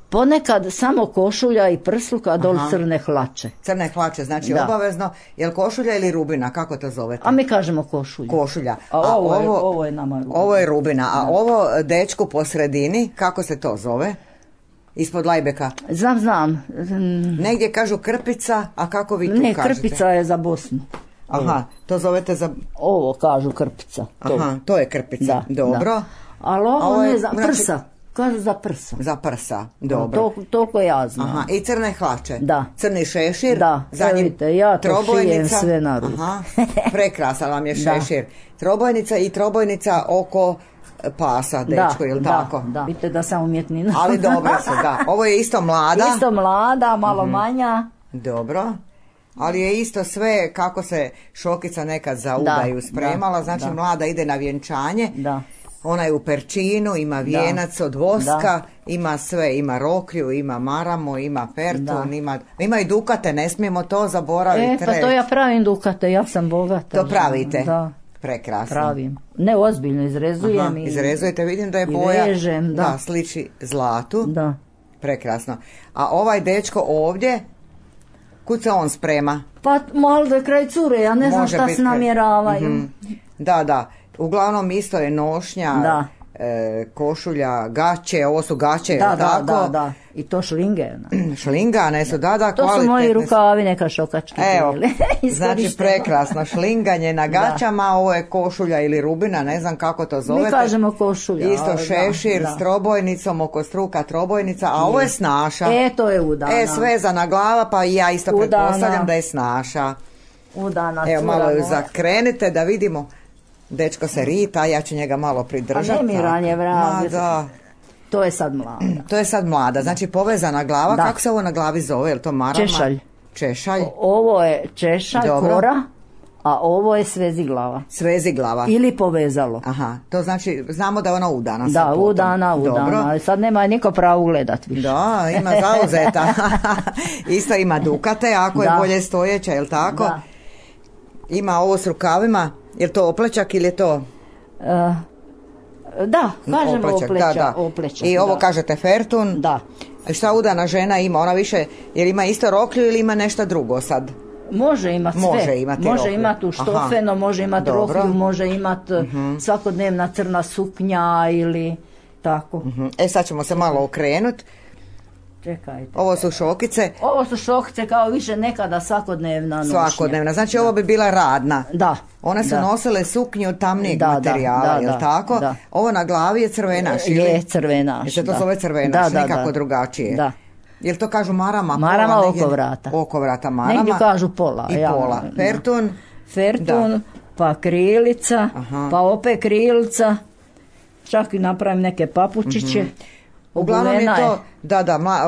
D: Ponekad samo košulja i prsluka, dol crne hlače.
B: Crne hlače, znači
D: Da.
B: obavezno. Je li košulja ili rubina? Kako to zovete?
D: A mi kažemo košulju.
B: Košulja.
D: A ovo, je, ovo je nama rubina.
B: Ovo je rubina, a ovo dečko po sredini, kako se to zove? Ispod lajbeka.
D: Znam, znam.
B: Negdje kažu krpica, a kako vi tu
D: Ne,
B: kažete?
D: krpica je za Bosnu.
B: Aha, to zovete za...
D: Ovo kažu krpica. To.
B: Aha, to je krpica.
D: Da,
B: Dobro.
D: da. Ali ovo,
B: A ovo je,
D: ne za
B: znači-
D: prsa. Kažu za prsa.
B: Za prsa, dobro.
D: To, toliko ja znam.
B: Aha, i crne hlače.
D: Da.
B: Crni šešir.
D: Da,
B: za
D: evo
B: njim
D: vidite, ja to
B: trobojnica.
D: šijem sve na ruku.
B: Aha, prekrasan vam je
D: Da.
B: šešir. Trobojnica i trobojnica oko pasa, dečko, jel
D: da,
B: tako?
D: Da, vidite da sam umjetnina.
B: Ali dobro su, da. Ovo je isto mlada.
D: Isto mlada, malo manja.
B: Dobro. Ali je isto sve kako se šokica nekad za udaju
D: Da,
B: spremala.
D: da,
B: Znači
D: da.
B: mlada ide na vjenčanje.
D: Da.
B: Ona je u perčinu, ima vijenac od voska,
D: Da.
B: ima sve, ima rokriju, ima maramo, ima pertun,
D: Da.
B: ima, ima i dukate, ne smijemo to zaboraviti.
D: E, pa to ja pravim dukate, ja sam bogata.
B: To pravite?
D: Da,
B: Prekrasno.
D: pravim. Ne, ozbiljno, izrezujem
B: Aha,
D: i...
B: izrezujete, vidim da je
D: i
B: boja,
D: vežem, da.
B: sliči zlatu.
D: Da.
B: Prekrasno. A ovaj dečko ovdje, kud se on sprema?
D: Pa malo da je kraj cure, ja ne znam
B: Može
D: šta
B: biti
D: se
B: kraj-
D: namjeravaju.
B: Mhm. Da, da. Uglavnom isto je nošnja,
D: Da.
B: e, košulja, gaće, ovo su gaće,
D: Da,
B: jel
D: da,
B: tako?
D: da, da. I to šlinge. na.
B: Šlingane su, da, da,
D: To su
B: kvalitetne
D: moji
B: su.
D: rukavi, neka šokački.
B: Evo,
D: bili.
B: znači
D: Iskorišteno.
B: prekrasno, šlinganje na gaćama, ovo je košulja ili rubina, ne znam kako to zovete.
D: Mi kažemo košulja.
B: Isto
D: ali
B: šešir
D: da,
B: s trobojnicom, oko struka trobojnica, a ovo je snaša.
D: da. E, to je udana.
B: E, svezana glava, pa i ja isto
D: Udana.
B: pretpostavljam da je snaša.
D: Udana
B: Evo,
D: cura
B: malo ju
D: moja.
B: zakrenite da vidimo. Dečko se rita, ja ću njega malo pridržati.
D: A ne mi ranje vrag.
B: Ma da.
D: To je sad mlada.
B: To je sad mlada, znači povezana glava,
D: Da.
B: kako se ovo na glavi zove, je li to marama?
D: Češalj.
B: Češalj,
D: O- Ovo je češalj,
B: Dobro.
D: kora, a ovo je svezi glava.
B: svezi glava.
D: Ili povezalo.
B: Aha, to znači, znamo da je ona udana. sad
D: Da,
B: potom.
D: udana, udana.
B: Dobro.
D: Ali sad nema niko pravo gledat više.
B: Da, ima zauzeta. Isto ima dukate, ako je
D: Da.
B: bolje stojeća, je li tako?
D: Da.
B: Ima ovo s rukavima, je li to oplečak ili je to...
D: E, da, kažemo
B: Oplečak,
D: opleća,
B: da, da.
D: oplećak,
B: I ovo
D: da.
B: kažete fertun.
D: Da.
B: Šta udana žena ima? Ona više, jer ima isto roklju ili ima nešto drugo sad?
D: Može imati sve.
B: Može imati
D: može
B: roklju.
D: imati u štofeno,
B: Aha.
D: može imati
B: Dobro.
D: roklju, može imati svakodnevna crna suknja ili tako.
B: Mhm. E sad ćemo se malo okrenuti.
D: Čekajte.
B: Ovo su šokice,
D: Ovo su šokice kao više nekada svakodnevna nošnja.
B: svakodnevna. Znači ovo bi bila radna.
D: Da.
B: One su
D: da.
B: nosile suknju od tamnijeg
D: Da, da,
B: materijala,
D: da,
B: jel
D: da,
B: tako?
D: da.
B: Ovo na glavi je crvenaš, ili?
D: Je crvenaš.
B: Jel se to
D: da.
B: zove crvenaš,
D: Da, da,
B: nikako
D: da.
B: drugačije?
D: Da.
B: Jel to kažu marama?
D: Marama
B: pola,
D: oko
B: negdje-
D: vrata.
B: Oko vrata marama.
D: Negdje kažu pola.
B: I
D: ja,
B: pola.
D: da.
B: Fertun.
D: Fertun,
B: Da.
D: pa krilica,
B: Aha.
D: pa opet krilca. Čak i napravim neke papučiće.
B: Uglavnom je
D: Obuvena
B: to, da, da, ma,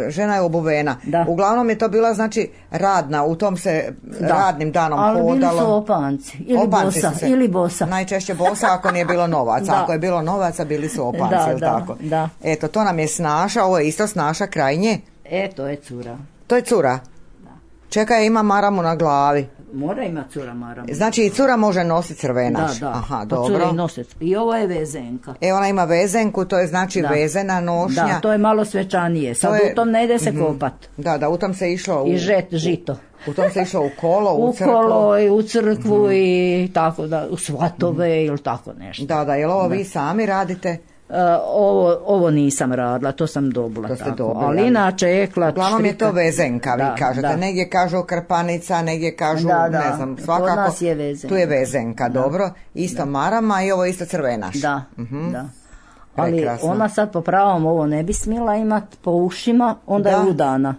B: žena je obuvena.
D: Da.
B: Uglavnom je to bila, znači, radna, u tom se radnim danom
D: ali
B: hodalo.
D: bili su opanci. Ili
B: Opanci
D: bosa.
B: su se-
D: Ili bosa.
B: Najčešće bosa ako nije bilo novaca.
D: Da.
B: Ako je bilo novaca, bili su opanci,
D: Da,
B: jel
D: da,
B: tako?
D: da.
B: Eto, to nam je snaša, ovo je isto snaša krajnje.
D: E, to je cura.
B: To je cura. Čekaj, ima maramu na glavi.
D: Mora ima cura maramu.
B: Znači i cura može nositi crvenaš.
D: Da, da.
B: Aha,
D: Pa
B: dobro.
D: cura i nosec. I ovo je vezenka.
B: E, ona ima vezenku, to je znači
D: Da.
B: vezena nošnja.
D: Da, to je malo svečanije. Sad
B: To je-
D: u tom ne ide se kopat.
B: Da, da, u tom se išlo u,
D: I žet, žito.
B: u tom se išlo u kolo, u,
D: U
B: crkvu.
D: kolo i u crkvu i tako da, u svatove ili tako nešto.
B: Da, da, jel ovo vi sami radite?
D: E, ovo, ovo nisam radila, to sam dobila
B: To ste
D: tako.
B: dobili,
D: ali
B: ali-
D: inače eklat,
B: Uglavnom je
D: štrika.
B: to vezenka, vi
D: Da,
B: kažete.
D: da.
B: Negdje kažu krpanica, negdje kažu,
D: Da, da.
B: ne znam,
D: Kod
B: svakako.
D: nas je vezenka.
B: Tu je vezenka, dobro. Isto marama i ovo isto crvenaš.
D: Da,
B: Mhm.
D: da. Ali
B: Prekrasno.
D: ona sad po pravom ovo ne bi smjela imat po ušima, onda
B: Da.
D: je udana.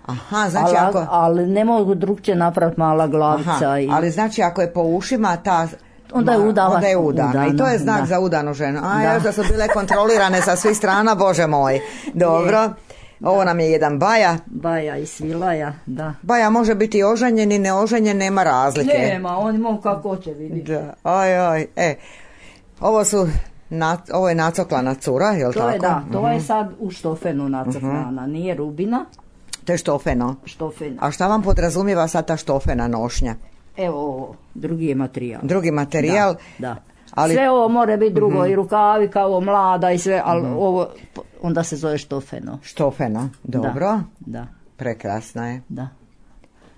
B: Aha, znači
D: ali,
B: ako...
D: ali ne mogu drugčije napraviti mala glavica.
B: Aha,
D: i...
B: ali znači ako je po ušima ta...
D: Onda je
B: ma-
D: udava-
B: onda je udana.
D: udana,
B: I to je znak
D: da.
B: za udanu ženu. A
D: Da.
B: još da su bile kontrolirane sa svih strana, bože moj. Dobro. Ovo nam je jedan baja.
D: Baja i svilaja, da.
B: Baja može biti oženjen i neoženjen, nema razlike.
D: Nema, on mogu kako će vidjeti.
B: Da, aj, aj, e. Ovo su, na, ovo je nacoklana cura, jel
D: To
B: tako?
D: je da, to je sad u štofenu nacrtana, nije rubina,
B: To je štofeno.
D: štofena.
B: A šta vam podrazumijeva sad ta štofena nošnja?
D: Evo ovo, drugi je materijal.
B: Drugi materijal,
D: Da,
B: Ali...
D: Sve ovo more biti drugo, mm-hmm. i rukavi kao mlada i sve, ali mm-hmm. ovo onda se zove štofeno.
B: Štofeno, dobro.
D: Da, da.
B: Prekrasna je.
D: Da.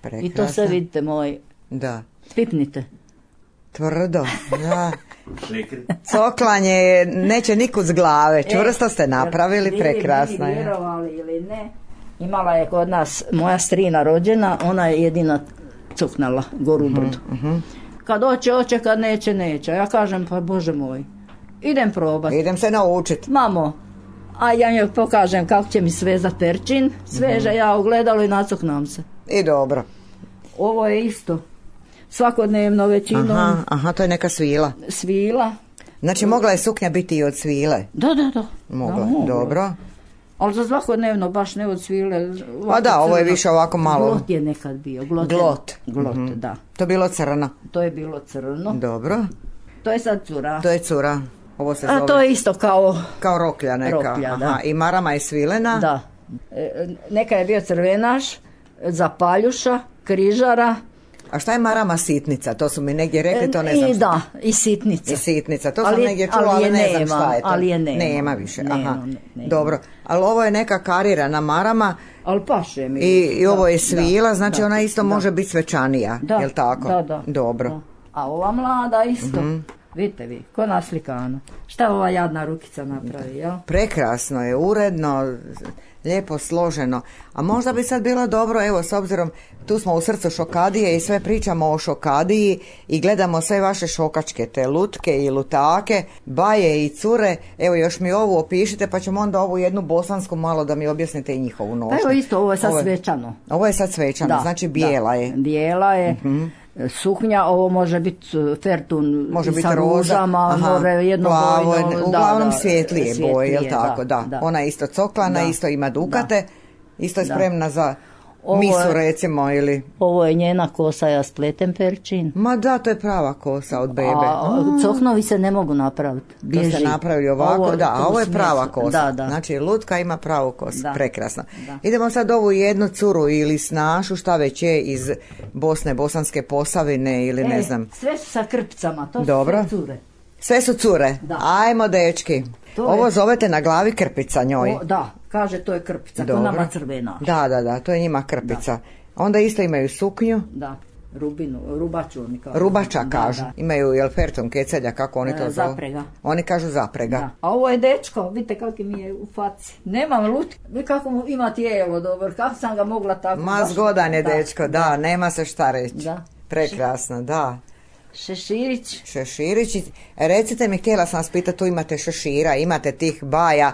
B: Prekrasna.
D: I to sve vidite moj.
B: Da.
D: Pipnite.
B: Tvrdo, da. Coklanje neće nikud s glave, čvrsto ste napravili, prekrasna je.
D: Vjerovali ili ne, imala je kod nas moja strina rođena, ona je jedina cuknala goru uh-huh, brdu. Uh-huh. Kad hoće, hoće, kad neće, neće. Ja kažem, pa Bože moj, idem probati.
B: Idem se naučit.
D: Mamo, a ja njoj pokažem kako će mi svezat perčin, sveže uh-huh. ja ugledalo i nacuknam se.
B: I dobro.
D: Ovo je isto. Svakodnevno većinom.
B: Aha, aha, to je neka svila.
D: Svila.
B: Znači mogla je suknja biti i od svile?
D: Da, da, da.
B: Mogla,
D: da, mogla.
B: Dobro.
D: Ali za svakodnevno baš ne od svile.
B: A da, ovo je više ovako malo.
D: Glot je nekad bio. Glot.
B: Glot.
D: Glot,
B: mm-hmm.
D: da.
B: To je bilo crno.
D: To je bilo crno.
B: Dobro.
D: To je sad cura.
B: To je cura. Ovo se
D: A
B: zove...
D: to je isto kao...
B: Kao roklja neka.
D: Roklja, da.
B: Aha, i marama je svilena.
D: Da. E, neka je bio crvenaš, zapaljuša, križara.
B: A šta je marama sitnica? To su mi negdje rekli, to ne znam
D: I
B: šta.
D: da, i sitnica.
B: I sitnica, to
D: ali,
B: sam negdje čula, ali, ali ne znam šta je to.
D: Ali je nema.
B: Nema više,
D: nema,
B: aha.
D: Nema.
B: Dobro, ali ovo je neka karirana marama.
D: Ali paše mi.
B: I, i ovo je
D: da,
B: svila,
D: da,
B: znači
D: da,
B: ona isto
D: da.
B: može biti svečanija,
D: da,
B: jel tako?
D: Da, da.
B: Dobro.
D: Da. A ova mlada isto, mm-hmm. vidite vi, ko naslikano. Šta ova jadna rukica napravi, jel?
B: Prekrasno je, uredno, lijepo složeno. A možda bi sad bilo dobro, evo, s obzirom, tu smo u srcu Šokadije i sve pričamo o Šokadiji i gledamo sve vaše šokačke, te lutke i lutake, baje i cure. Evo, još mi ovu opišite, pa ćemo onda ovu jednu bosansku malo da mi objasnite i njihovu nošnju.
D: Pa evo isto, ovo je sad ovo, svečano.
B: Ovo je sad svečano,
D: da,
B: znači bijela
D: da,
B: je.
D: Bijela je.
B: Uh-huh.
D: Suknja, ovo može biti fertun
B: može biti
D: sa ružama, može jednobojno.
B: Uglavnom
D: da,
B: svjetlije, svjetlije boje, jel tako? Da, da.
D: da.
B: Ona je isto coklana, da. Isto ima dukate, da. Isto je spremna da. Za ovo misu je, recimo ili...
D: Ovo je njena kosa, ja spletem perčin.
B: Ma da, to je prava kosa od bebe.
D: A coknovi se ne mogu napraviti.
B: To se napravi ovako, ovo, da, a ovo je prava kosa.
D: Da, da.
B: Znači lutka ima pravu kosu, da. Prekrasno.
D: Da.
B: Idemo sad ovu jednu curu ili snašu, šta već je iz Bosne, Bosanske Posavine ili
D: e,
B: ne znam.
D: Sve su sa krpcama, to
B: dobro.
D: Su sve cure.
B: Sve su cure, da. Ajmo dečki. To ovo je... zovete na glavi krpica njoj.
D: O, da, kaže to je krpica, to nama crvena.
B: Da, da, da, to je njima krpica. Da. Onda isto imaju suknju.
D: Da, rubinu, rubaču oni kažu.
B: Rubača kažu.
D: Da, da.
B: Imaju jel ferton kecelja, kako oni to
D: e,
B: zovu?
D: Zaprega.
B: Oni kažu zaprega.
D: Da. A ovo je dečko, vidite kako mi je u faci. Nemam lutke, vi kako mu ima tijelo dobro, kako sam ga mogla tako.
B: Ma zgodan je da. Dečko, da, da, nema se šta reći.
D: Da.
B: Prekrasno, da.
D: Šeširić.
B: Šeširić. Recite mi, htjela sam vas pitati, tu imate šešira, imate tih baja.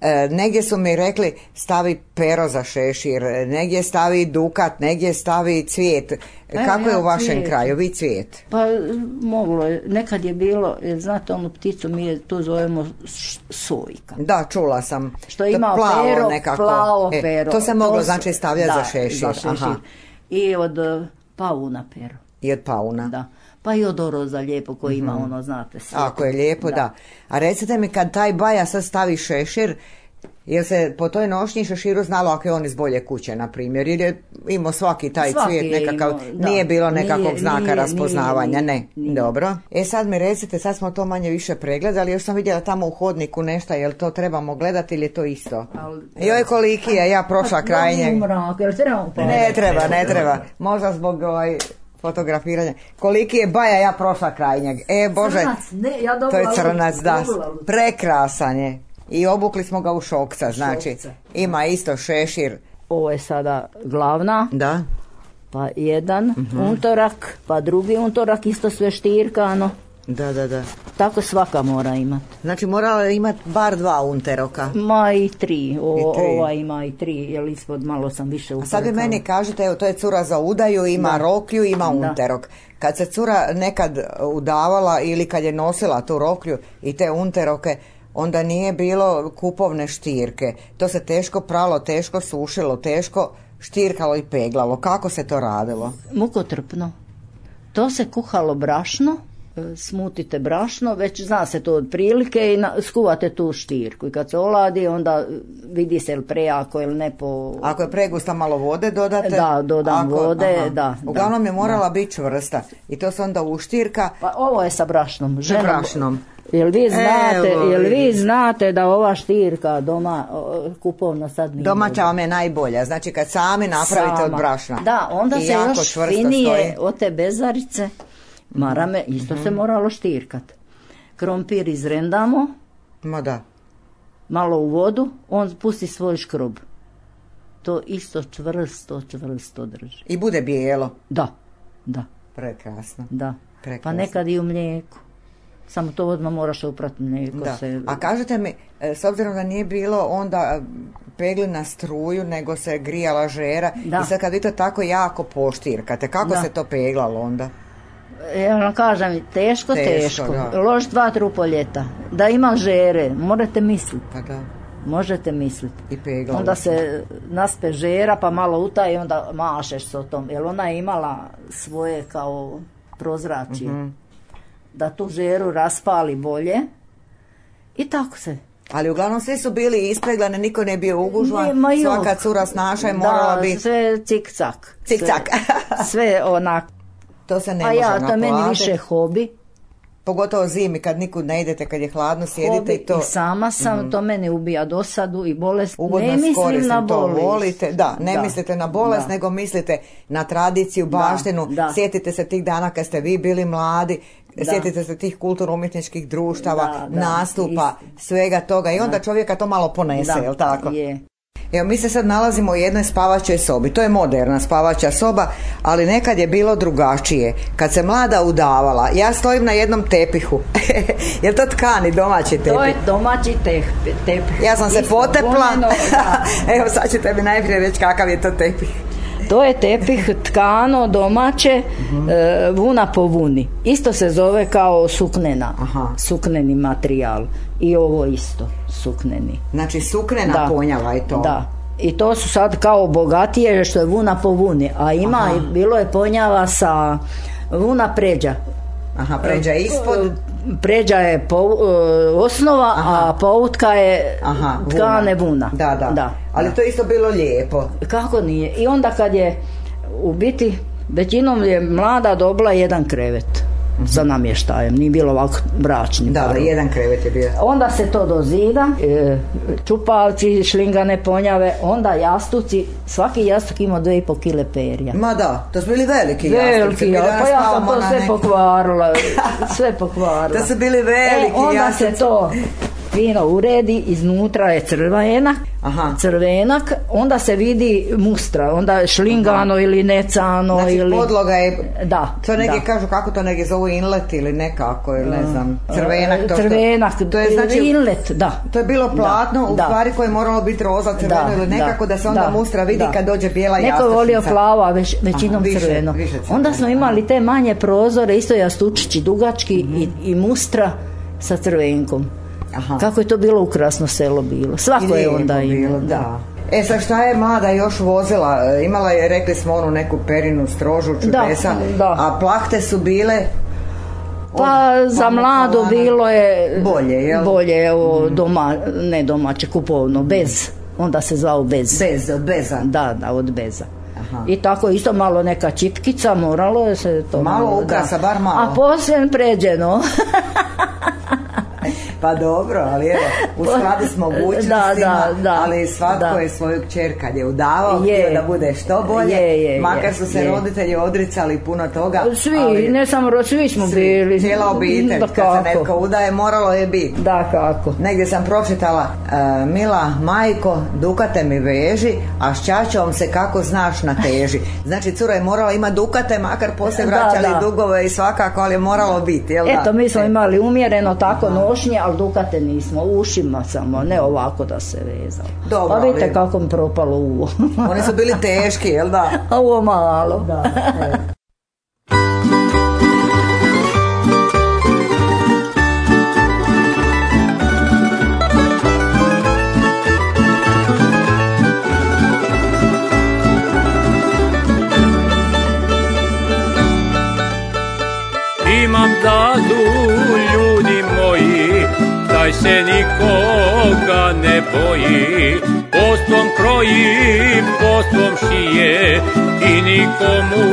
B: E, negdje su mi rekli stavi pero za šešir, negdje stavi dukat, negdje stavi cvijet.
D: Evo,
B: kako
D: ja,
B: je u vašem
D: cvijet.
B: kraju, vi cvijet?
D: Pa moglo je, nekad je bilo, znate onu pticu mi je tu zovemo sojka.
B: Da, čula sam.
D: Što ima pero, nekako. Plavo
B: e,
D: pero.
B: To se moglo
D: to
B: znači stavljati
D: da,
B: za šešir.
D: Za šešir. Aha. I od uh, pauna pero.
B: I od pauna.
D: Da. Pa i od oroza lijepo koji ima mm-hmm. ono, znate. Sve.
B: Ako je lijepo, da. da. A recite mi, kad taj baja sad stavi šešir, jer se po toj nošnji šeširu znalo ako je on iz bolje kuće, na primjer, jer je imao svaki taj svaki cvijet nekakav, imao, nije bilo nekakvog nije, znaka nije, raspoznavanja, nije, ne, nije. Dobro. E sad mi recite, sad smo to manje više pregledali, još sam vidjela tamo u hodniku nešto, jel to trebamo gledati ili je to isto? Al, joj koliki je, ja prošla kraj njega. Ne treba, ne treba, možda zbog ovaj... fotografiranja. Koliki je baja, ja prošla kraj njega. E Bože,
D: crnac, ne, ja
B: to je crnac, da, prekrasan je. I obukli smo ga u šokca, znači šokca. Ima isto šešir.
D: Ovo je sada glavna.
B: Da.
D: Pa jedan uh-huh. untorak, pa drugi untorak, isto sve štirkano.
B: Da, da, da.
D: Tako svaka mora imati.
B: Znači morala imati bar dva unteroka.
D: Ma i tri. O, I tri. Ova ima i tri, jer ispod malo sam više upravo.
B: A sad vi meni kažete, evo to je cura za udaju, ima da. Roklju, ima da. Unterok. Kad se cura nekad udavala ili kad je nosila tu roklju i te unteroke, onda nije bilo kupovne štirke. To se teško pralo, teško sušilo, teško štirkalo i peglalo. Kako se to radilo?
D: Mukotrpno. To se kuhalo brašno, smutite brašno, već zna se to otprilike i na, skuvate tu štirku i kad se oladi onda vidi se ili prejako ili ne po...
B: Ako je pregusta malo vode dodate?
D: Da, dodam
B: Ako,
D: vode,
B: aha.
D: da.
B: Uglavnom
D: da,
B: je morala
D: da.
B: biti čvrsta i to se onda uštirka.
D: Pa ovo je sa brašnom. Ženom,
B: brašnom.
D: Jel vi znate,
B: Evo,
D: jel vi
B: vidiš.
D: znate da ova štirka doma o, kupovno sad nije
B: Domaća vam je najbolja, znači kad sami napravite
D: sama.
B: od brašna.
D: Da, onda
B: I
D: se
B: jako
D: još
B: čvrsto
D: finije
B: stoji.
D: od te bezarice, marame, isto
B: Mhm.
D: se moralo štirkat. Krompir izrendamo,
B: Ma da.
D: malo u vodu, on pusti svoj škrob. To isto čvrsto, čvrsto drži.
B: I bude bijelo.
D: Da, da,
B: Prekrasno.
D: da.
B: Prekrasno.
D: Pa nekad i u mlijeku. Samo to odmah moraš uprati mlijeko.
B: Da.
D: Se...
B: A kažete mi, e, s obzirom da nije bilo onda pegli na struju, nego se grijala žera,
D: Da.
B: i sad kad vi to tako jako poštirkate, kako
D: Da.
B: se to peglalo onda?
D: Ja vam kažem, teško,
B: Teško,
D: teško.
B: da.
D: Lož dva trupoljeta. Da ima žere, morate misliti.
B: Pa da.
D: Možete misliti.
B: I peglalo.
D: Onda se naspe žera pa malo utaje i onda mašeš s o tom. Jer ona je imala svoje kao prozračje.
B: Mhm.
D: Da tu žeru raspali bolje. I tako se.
B: Ali uglavnom svi su bili ispeglani, niko ne bio ugužvan,
D: Nema jok.
B: svaka cura snaša je morala
D: Da,
B: biti
D: sve cik-cak.
B: cik-cak.
D: Sve, sve onak.
B: To se ne
D: A
B: može
D: ja, to je meni
B: naplatiti.
D: više hobi.
B: Pogotovo zimi kad nikud ne idete, kad je hladno, sjedite
D: Hobi
B: i to...
D: i sama sam, mm-hmm. to meni ubija dosadu i bolest.
B: Ugodno
D: Ne mislim
B: koristim,
D: na
B: to
D: bolest.
B: volite. Da, ne
D: Da,
B: mislite na bolest,
D: da.
B: nego mislite na tradiciju, baštinu.
D: da.
B: Sjetite se tih dana kad ste vi bili mladi,
D: Da.
B: sjetite se tih kulturno-umjetničkih društava,
D: Da, da,
B: nastupa, svega toga i onda čovjeka to malo ponese,
D: Da,
B: jel tako?
D: je.
B: Evo, mi se sad nalazimo u jednoj spavačoj sobi. To je moderna spavača soba, ali nekad je bilo drugačije. Kad se mlada udavala, ja stojim na jednom tepihu. Je to tkani domaći tepih?
D: To je domaći tepih. tepih.
B: Ja sam se
D: Isto
B: potepla.
D: voleno, da.
B: Evo, sad ćete mi najprije reći kakav je to tepih.
D: To je tepih tkano domaće,
B: Mhm.
D: e, vuna po vuni. Isto se zove kao suknena.
B: Aha.
D: Sukneni materijal. I ovo isto, sukneni.
B: Znači suknena
D: Da.
B: ponjava i to.
D: Da. I to su sad kao bogatije što je vuna po vuni. A ima,
B: Aha.
D: i bilo je ponjava sa vuna pređa.
B: Aha, pređa ispod.
D: Pređa je po, e, osnova,
B: Aha.
D: a poutka je
B: Aha,
D: tkane vuna.
B: Da, da.
D: da
B: Ali
D: da.
B: to je isto bilo lijepo.
D: Kako nije? I onda kad je u biti većinom je mlada dobila jedan krevet sa namještajem, nije bilo ovako bračni.
B: Da, da, jedan krevet je bio.
D: Onda se to dozida, e, čupalci, šlingane ponjave, onda jastuci, svaki jastuk ima dvije i po kile perja.
B: Ma da, to su bili veliki jastuci.
D: Veliki,
B: Mi
D: ja,
B: danas
D: pa ja sam
B: spavamo
D: to
B: na
D: sve
B: ne-
D: pokvarila, sve pokvarila.
B: To su bili veliki
D: e, onda
B: jastuci.
D: se to fino uredi, iznutra je crvenak,
B: Aha.
D: crvenak, onda se vidi mustra, onda je šlingano
B: Aha.
D: ili necano
B: Znači
D: ili...
B: podloga je,
D: Da,
B: to neki
D: da.
B: kažu kako to neki zovu inlet ili nekako, ili ne znam, crvenak. To što-
D: Crvenak,
B: to je znači,
D: inlet, da.
B: to je bilo platno,
D: Da,
B: u
D: da.
B: stvari koje je moralo biti roza, crveno ili nekako da se onda
D: da,
B: mustra vidi
D: da.
B: kad dođe bijela
D: Neko je
B: jastučnica.
D: volio plavo, a već, većinom
B: Aha, više-
D: crveno.
B: više crveno,
D: Onda smo
B: aha.
D: imali te manje prozore, isto jastučići dugački i, i mustra sa crvenkom.
B: Aha.
D: Kako je to bilo ukrasno selo bilo. Svako je
B: Lijepo
D: onda
B: bilo,
D: imao.
B: da. E sad šta je mlada još vozila? E, Imala je, rekli smo, onu neku perinu strožu čudesa,
D: da.
B: a plahte su bile
D: Pa
B: od
D: za
B: pamuka
D: mlado
B: lana.
D: bilo je
B: Bolje, jel?
D: bolje, evo, doma, ne domaće, kupovno, bez. Onda se zvao bez.
B: bez, od beza.
D: Da, da, od beza.
B: Aha.
D: I tako isto malo neka čipkica, moralo je se to
B: Malo ukrasa, bar malo.
D: A poslije pređeno.
B: Pa dobro, ali evo, u skladu s mogućnostima,
D: Da, da, da,
B: ali svatko
D: da.
B: je svoju kćer kad je udavao,
D: Je.
B: htio da bude što bolje,
D: Je, je,
B: makar
D: je,
B: su se
D: je.
B: roditelji odricali puno toga.
D: Svi,
B: ali
D: ne samo ro- svi smo
B: svi,
D: bili.
B: cijela obitelj,
D: Da,
B: kad se
D: kako?
B: netko udaje, moralo je biti.
D: Da, kako.
B: Negdje sam pročitala, e, mila majko, dukate mi veži, a s ćaćom se kako znaš nateži. Znači, cura je morala imati dukate, makar poslije
D: Da,
B: vraćali
D: da.
B: dugove i svakako, ali je moralo biti, jel da?
D: Eto, mi smo
B: E.
D: imali umjereno tako nošnje, ali dukate nismo, ušima samo, ne ovako da se vezalo.
B: Dobro,
D: Pa vidite
B: ali-
D: kako mi propalo uvo.
B: Oni su bili teški, jel da?
D: A ovo malo.
B: Da, e.
C: Ima
E: vam dadu ljudi moji, taj se nikoga ne boji. Postvom kroji, postvom šije i nikomu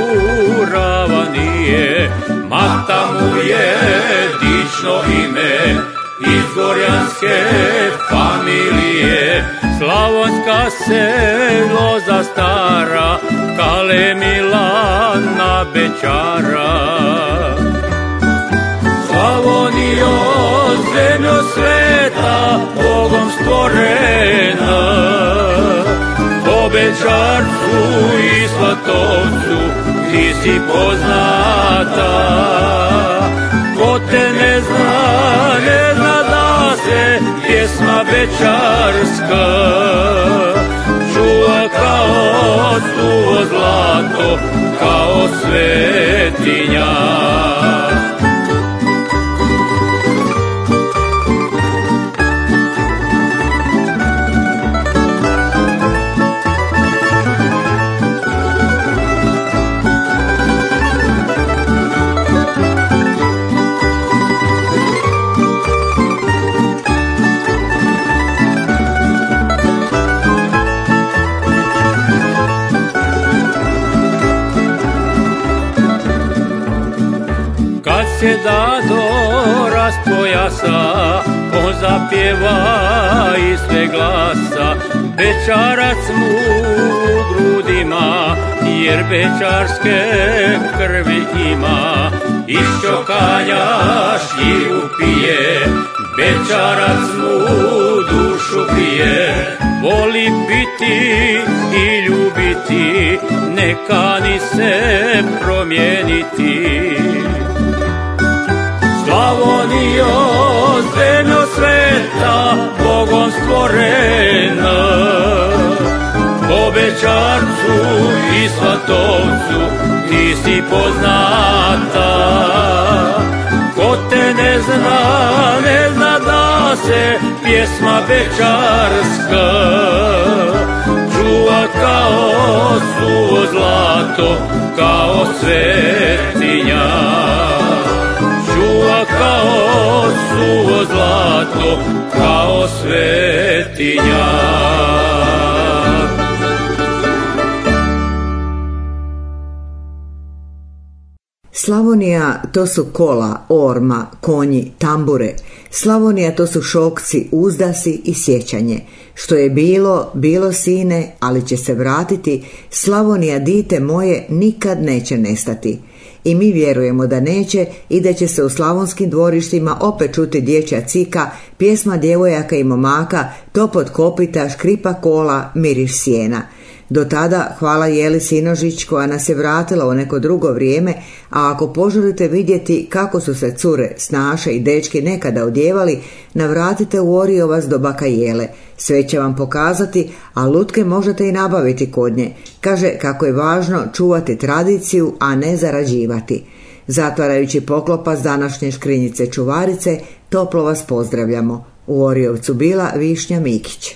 E: rava nije. Mata mu je dično ime, iz gorjanske familije. Slavonska se loza stara, Kale Milana Bećara. Slavonijo, zemljo sveta, Bogom stvorena, po Bećarcu i Svatovcu ti si poznata. Ko te ne zna, ne zna da se pjesma bećarska čuva kao suvo zlato, kao svetinja. Se dado raspojasa, on zapjeva iz sve glasa. Bećarac mu u grudima, jer bećarske krvi ima. Iz čokanja šljivu pije, Bećarac mu dušu pije. Voli biti i ljubiti, ne kani se promijeniti. Slavonijo, zemljo sveta, Bogom stvorena, po Bećarcu i Svatovcu ti si poznata. Ko te ne zna, ne zna da se pjesma bećarska čuva kao suvo zlato, kao svetinja. Čuva kao suvo zlato, kao svetinja.
B: Slavonija to su kola, orma, konji, tambure. Slavonija to su šokci, uzdasi i sjećanje. Što je bilo, bilo sine, ali će se vratiti. Slavonija, dite moje, nikad neće nestati. I mi vjerujemo da neće i da će se u slavonskim dvorištima opet čuti dječja cika, pjesma djevojaka i momaka, topot kopita, škripa kola, miriš sjena. Do tada hvala Jeli Sinožić koja nas je vratila u neko drugo vrijeme, a ako poželite vidjeti kako su se cure, snaše i dečki nekada odjevali, navratite u Oriovac do baka Jele. Sve će vam pokazati, a lutke možete i nabaviti kod nje. Kaže kako je važno čuvati tradiciju, a ne zarađivati. Zatvarajući poklopac današnje škrinjice čuvarice, toplo vas pozdravljamo. U Oriovcu bila Višnja Mikić.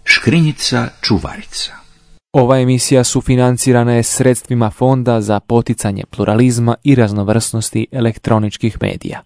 A: Škrinjica čuvarica.
F: Ova emisija sufinancirana je sredstvima Fonda za poticanje pluralizma i raznovrsnosti elektroničkih medija.